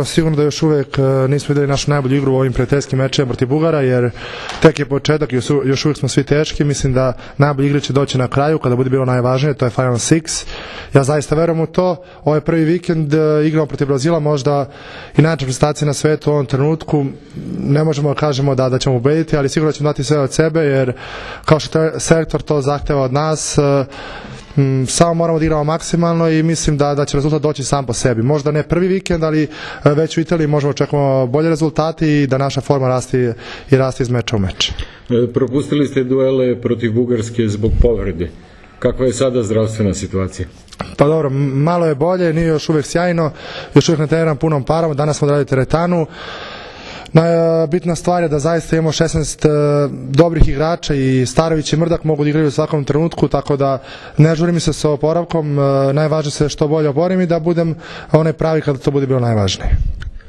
Sigurno da još uvek nismo videli našu najbolju igru u ovim prijateljskim mečevima protiv Bugara, jer tek je početak i još uvek smo svi teški. Mislim da najbolji igre će doći na kraju kada bude bilo najvažnije, to je Final Six. Ja zaista verujem u to. Ovo je prvi vikend, igramo protiv Brazila, možda i najjača prestacija na svetu u ovom trenutku. Ne možemo da kažemo da ćemo ubediti, ali sigurno ćemo dati sve od sebe, jer kao što selektor to zahteva od nas, samo moramo da igramo maksimalno i mislim da će rezultat doći sam po sebi. Možda ne prvi vikend, ali već u Italiji možemo očekujemo bolje rezultati i da naša forma raste iz meča u meč. Propustili ste duele protiv Bugarske zbog povrede. Kakva je sada zdravstvena situacija? Pa dobro, malo je bolje, nije još uvek sjajno, još uvek ne treniram punom parom, danas smo odradili teretanu. Bitna stvar je da zaista imamo 16 dobrih igrača i Starović i Mrdak mogu da igraju u svakom trenutku, tako da ne žurim se sa oporavkom, najvažnije se što bolje oporim i da budem onaj pravi kada to bude bilo najvažnije.